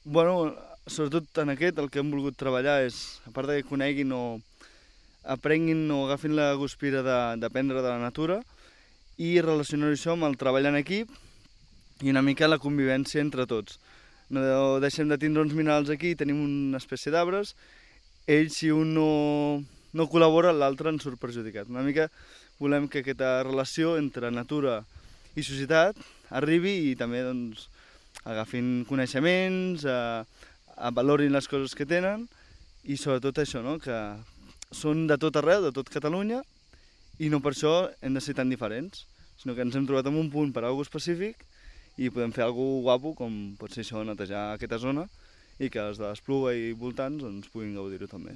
Bueno, sobretot en aquest el que hem volgut treballar és, a part que coneguin o aprenguin o agafin la guspira d'aprendre de la natura i relacionar això amb el treball en equip i una mica la convivència entre tots. No deixem de tindre uns minerals aquí, tenim una espècie d'arbres, ells si un no col·labora l'altre en surt perjudicat. Una mica volem que aquesta relació entre natura i societat arribi i també doncs, agafin coneixements, valorin les coses que tenen i sobretot això, no? Que són de tot arreu, de tot Catalunya i no per això hem de ser tan diferents, sinó que ens hem trobat en un punt per a alguna cosa específic i podem fer alguna cosa guapo, com pot ser això, netejar aquesta zona i que els de l'Espluga i voltants doncs, puguin gaudir-ho també.